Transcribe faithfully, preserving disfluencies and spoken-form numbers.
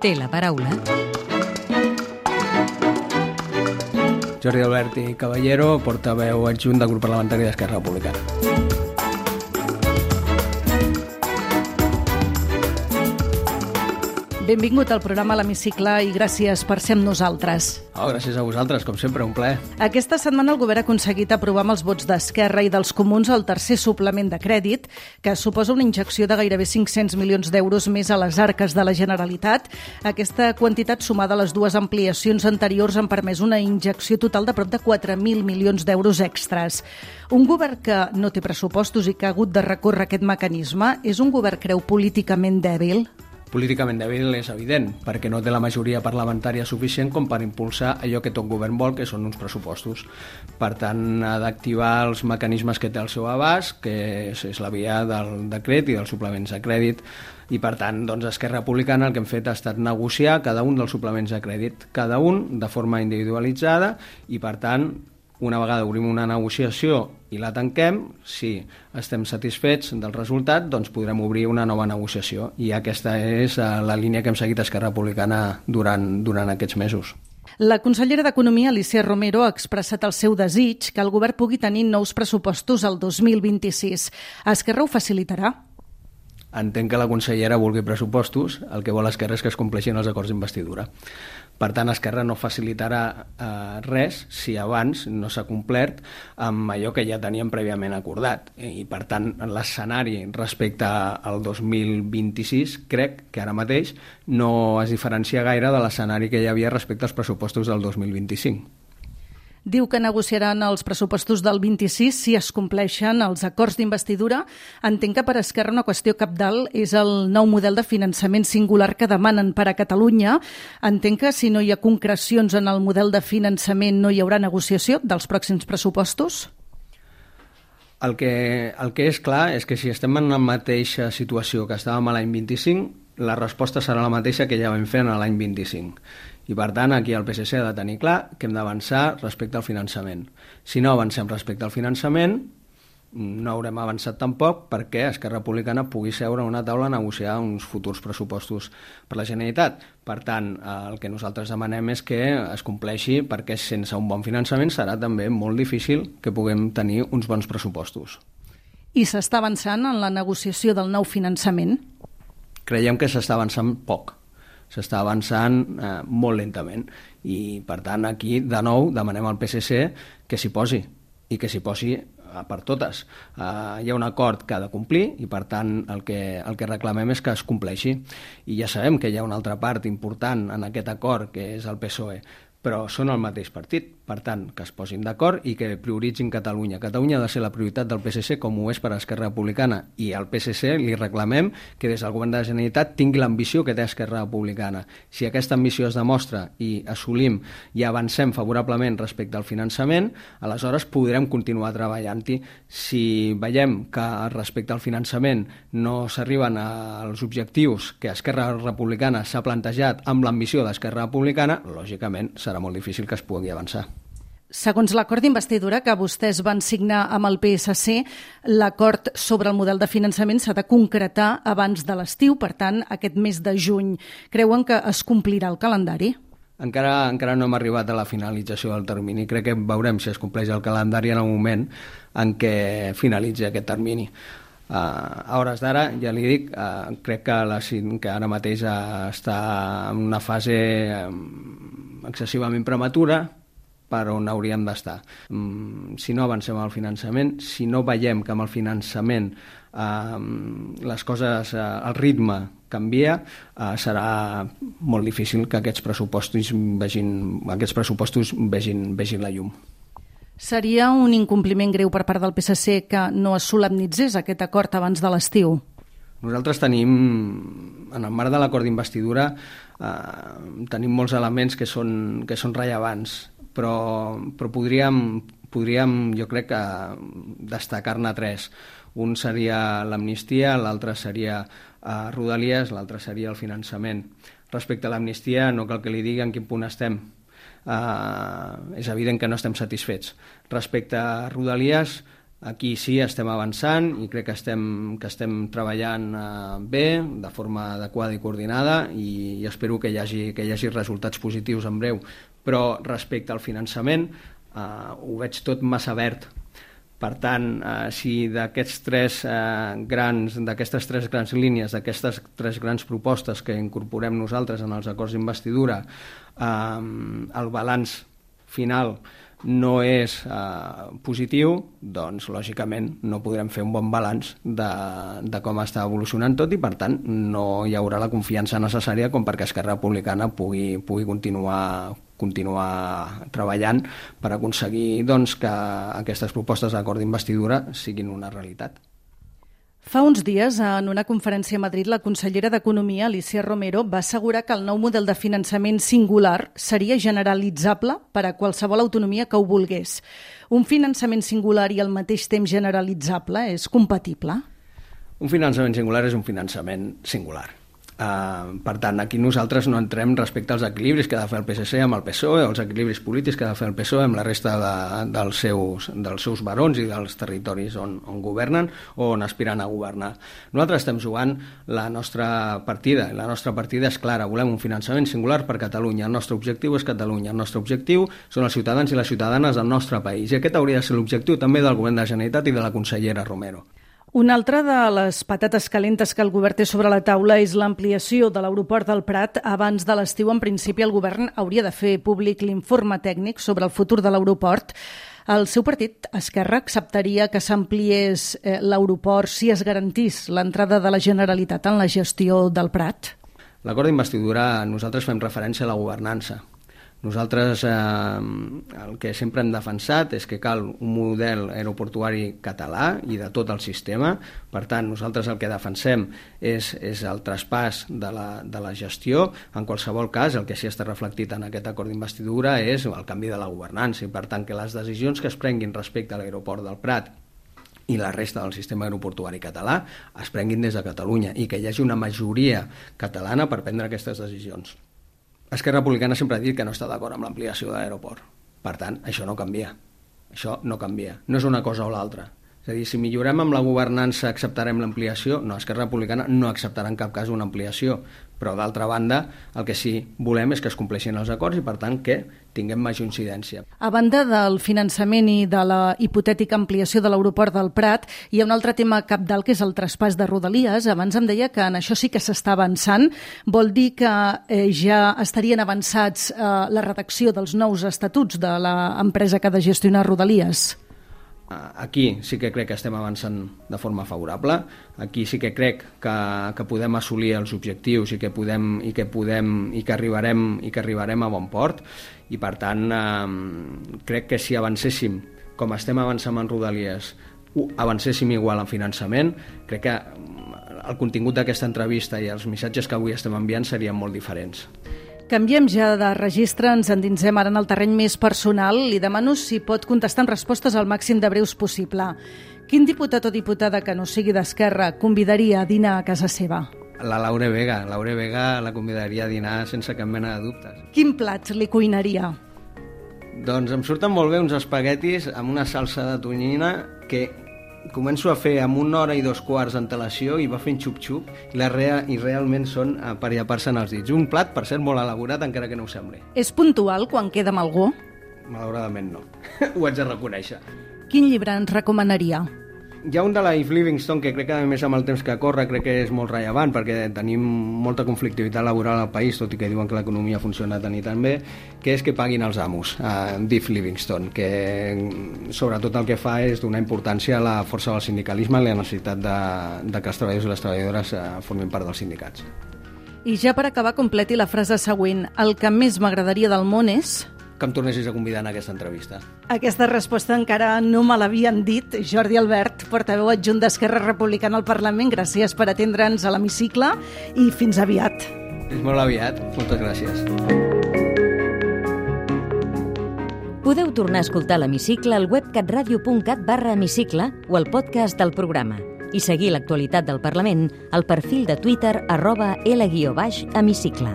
Té la paraula Jordi Alberti Caballero, portaveu adjunt del grup parlamentari d'Esquerra Republicana. Benvingut al programa a l'Hemicicle i gràcies per ser amb nosaltres. Oh, gràcies a vosaltres, com sempre, un plaer. Aquesta setmana el govern ha aconseguit aprovar amb els vots d'Esquerra i dels comuns el tercer suplement de crèdit, que suposa una injecció de gairebé cinc-cents milions d'euros més a les arques de la Generalitat. Aquesta quantitat sumada a les dues ampliacions anteriors han permès una injecció total de prop de quatre mil milions d'euros extras. Un govern que no té pressupostos i que ha hagut de recórrer aquest mecanisme és un govern, creu, políticament dèbil? Políticament dèbil és evident, perquè no té la majoria parlamentària suficient com per impulsar allò que tot govern vol, que són uns pressupostos. Per tant, ha d'activar els mecanismes que té al seu abast, que és, és la via del decret i dels suplements de crèdit, i per tant, doncs, Esquerra Republicana el que hem fet ha estat negociar cada un dels suplements de crèdit, cada un de forma individualitzada, i per tant, una vegada obrim una negociació i la tanquem, si estem satisfets del resultat, doncs podrem obrir una nova negociació. I aquesta és la línia que hem seguit a Esquerra Republicana durant, durant aquests mesos. La consellera d'Economia, Alícia Romero, ha expressat el seu desig que el govern pugui tenir nous pressupostos el dos mil vint-i-sis. Esquerra ho facilitarà? Entenc que la consellera vulgui pressupostos, el que vol Esquerra és que es compleixin els acords d'investidura. Per tant, Esquerra no facilitarà eh, res si abans no s'ha complert amb allò que ja teníem prèviament acordat. I, per tant, l'escenari respecte al dos mil vint-i-sis crec que ara mateix no es diferencia gaire de l'escenari que hi havia respecte als pressupostos del dos mil vint-i-cinc. Diu que negociaran els pressupostos del vint-i-sis si es compleixen els acords d'investidura. Entenc que per Esquerra una qüestió cabdal és el nou model de finançament singular que demanen per a Catalunya. Entenc que si no hi ha concrecions en el model de finançament no hi haurà negociació dels pròxims pressupostos? El que, el que és clar és que si estem en la mateixa situació que estàvem a l'any vint-i-cinc, la resposta serà la mateixa que ja vam fer a l'any vint-i-cinc. I per tant, aquí el P S C ha de tenir clar que hem d'avançar respecte al finançament. Si no avancem respecte al finançament, no haurem avançat tampoc perquè Esquerra Republicana pugui seure a una taula a negociar uns futurs pressupostos per la Generalitat. Per tant, el que nosaltres demanem és que es compleixi, perquè sense un bon finançament serà també molt difícil que puguem tenir uns bons pressupostos. I s'està avançant en la negociació del nou finançament? Creiem que s'està avançant poc. S'està avançant eh, molt lentament i, per tant, aquí, de nou, demanem al P S C que s'hi posi i que s'hi posi eh, per totes. Eh, hi ha un acord que ha de complir i, per tant, el que, el que reclamem és que es compleixi. I ja sabem que hi ha una altra part important en aquest acord, que és el P S O E, però són el mateix partit. Per tant, que es posin d'acord i que prioritzin Catalunya. Catalunya ha de ser la prioritat del P S C, com ho és per a Esquerra Republicana. I al P S C li reclamem que des del govern de la Generalitat tingui l'ambició que té Esquerra Republicana. Si aquesta ambició es demostra i assolim i avancem favorablement respecte al finançament, aleshores podrem continuar treballant-hi. Si veiem que respecte al finançament no s'arriben als objectius que Esquerra Republicana s'ha plantejat amb l'ambició d'Esquerra Republicana, lògicament serà molt difícil que es pugui avançar. Segons l'acord d'investidura que vostès van signar amb el P S C, l'acord sobre el model de finançament s'ha de concretar abans de l'estiu, per tant, aquest mes de juny. Creuen que es complirà el calendari? Encara, encara no hem arribat a la finalització del termini. Crec que veurem si es compleix el calendari en el moment en què finalitzi aquest termini. Uh, a hores d'ara, ja li dic, uh, crec que, la, que ara mateix uh, està en una fase um, excessivament prematura, per on hauríem d'estar. Um, si no avancem al finançament, si no veiem que amb el finançament uh, les coses, uh, el ritme canvia, uh, serà molt difícil que aquests pressupostos vegin, aquests pressupostos vegin, vegin la llum. Seria un incompliment greu per part del P S C que no es solemnitzés aquest acord abans de l'estiu? Nosaltres tenim, en el marc de l'acord d'investidura, eh, tenim molts elements que són, que són rellevants, però, però podríem, podríem, jo crec, que destacar-ne tres. Un seria l'amnistia, l'altre seria eh, Rodalies, l'altre seria el finançament. Respecte a l'amnistia, no cal que li digui en quin punt estem. Uh, és evident que no estem satisfets. Respecte a Rodalies, Aquí sí estem avançant i crec que estem, que estem treballant eh, bé, de forma adequada i coordinada, i, i espero que hi, hagi, que hi hagi resultats positius en breu. Però respecte al finançament, eh, ho veig tot massa verd. Per tant, eh, si d'aquests tres eh, grans, d'aquestes tres grans línies, d'aquestes tres grans propostes que incorporem nosaltres en els acords d'investidura, eh, el balanç final no és eh, positiu, doncs lògicament no podrem fer un bon balanç de, de com està evolucionant tot, i per tant no hi haurà la confiança necessària com perquè Esquerra Republicana pugui, pugui continuar continuar treballant per aconseguir doncs, que aquestes propostes d'acord d'investidura siguin una realitat. Fa uns dies, en una conferència a Madrid, la consellera d'Economia, Alícia Romero, va assegurar que el nou model de finançament singular seria generalitzable per a qualsevol autonomia que ho volgués. Un finançament singular i al mateix temps generalitzable és compatible? Un finançament singular és un finançament singular. Uh, per tant, aquí nosaltres no entrem respecte als equilibris que ha de fer el P S C amb el P S O E, o els equilibris polítics que ha de fer el P S O E amb la resta de, dels, seus, dels seus barons i dels territoris on, on governen o on aspiren a governar. Nosaltres estem jugant la nostra partida, i la nostra partida és clara: volem un finançament singular per Catalunya. El nostre objectiu és Catalunya, el nostre objectiu són els ciutadans i les ciutadanes del nostre país, i aquest hauria de ser l'objectiu també del Govern de la Generalitat i de la consellera Romero. Una altra de les patates calentes que el govern té sobre la taula és l'ampliació de l'aeroport del Prat. Abans de l'estiu, en principi, el govern hauria de fer públic l'informe tècnic sobre el futur de l'aeroport. El seu partit, Esquerra, acceptaria que s'ampliés eh, l'aeroport si es garantís l'entrada de la Generalitat en la gestió del Prat? L'acord d'investidura, nosaltres fem referència a la governança. Nosaltres eh, el que sempre hem defensat és que cal un model aeroportuari català i de tot el sistema. Per tant, nosaltres el que defensem és, és el traspàs de la, de la gestió. En qualsevol cas, el que sí està reflectit en aquest acord d'investidura és el canvi de la governança, i per tant que les decisions que es prenguin respecte a l'aeroport del Prat i la resta del sistema aeroportuari català es prenguin des de Catalunya, i que hi hagi una majoria catalana per prendre aquestes decisions. Esquerra Republicana sempre ha dit que no està d'acord amb l'ampliació de l'aeroport. Per tant, això no canvia. Això no canvia. No és una cosa o l'altra. És a dir, si millorem amb la governança acceptarem l'ampliació? No, Esquerra Republicana no acceptarà en cap cas una ampliació. Però, d'altra banda, el que sí volem és que es compleixin els acords i, per tant, que tinguem major incidència. A banda del finançament i de la hipotètica ampliació de l'aeroport del Prat, hi ha un altre tema cabdal, que és el traspàs de Rodalies. Abans em deia que en això sí que s'està avançant. Vol dir que eh, ja estarien avançats eh, la redacció dels nous estatuts de l'empresa que ha de gestionar Rodalies? Aquí sí que crec que estem avançant de forma favorable. Aquí sí que crec que, que podem assolir els objectius i que podem i que podem i que arribarem i que arribarem a bon port, i per tant eh, crec que si avancéssim com estem avançant en Rodalies, avancéssim igual en finançament, crec que el contingut d'aquesta entrevista i els missatges que avui estem enviant serien molt diferents. Canviem ja de registre, ens endinsem ara en el terreny més personal. Li demano si pot contestar amb respostes al màxim de breus possible. Quin diputat o diputada que no sigui d'Esquerra convidaria a dinar a casa seva? La Laura Vega. Laura Vega la convidaria a dinar sense cap mena de dubtes. Quin plat li cuinaria? Doncs em surten molt bé uns espaguetis amb una salsa de tonyina que començo a fer amb una hora i dos quarts d'antelació i va fent xup-xup i, la rea, i realment són per llepar-se'n els dits. Un plat, per cert, molt elaborat, encara que no ho sembli. És puntual quan queda amb algú? Malauradament no. Ho haig de reconèixer. Quin llibre ens recomanaria? Hi ha un de la Eve Livingstone que crec que, a més, amb el temps que corre, crec que és molt rellevant, perquè tenim molta conflictivitat laboral al país, tot i que diuen que l'economia funciona tan i tan bé, que és Que paguin els amos, uh, d'Eve Livingstone, que sobretot el que fa és donar importància a la força del sindicalisme i la necessitat de, de que els treballadors i les treballadores uh, formin part dels sindicats. I ja per acabar, completi la frase següent. El que més m'agradaria del món és... que em tornessis a convidar en aquesta entrevista. Aquesta resposta encara no me l'havien dit. Jordi Albert, portaveu adjunt d'Esquerra Republicana al Parlament, gràcies per atendre'ns a l'hemicicle i fins aviat. Fins molt aviat. Moltes gràcies. Podeu tornar a escoltar l'hemicicle al web catradio.cat barra hemicicle o al podcast del programa i seguir l'actualitat del Parlament al perfil de Twitter arroba L guió baix hemicicle.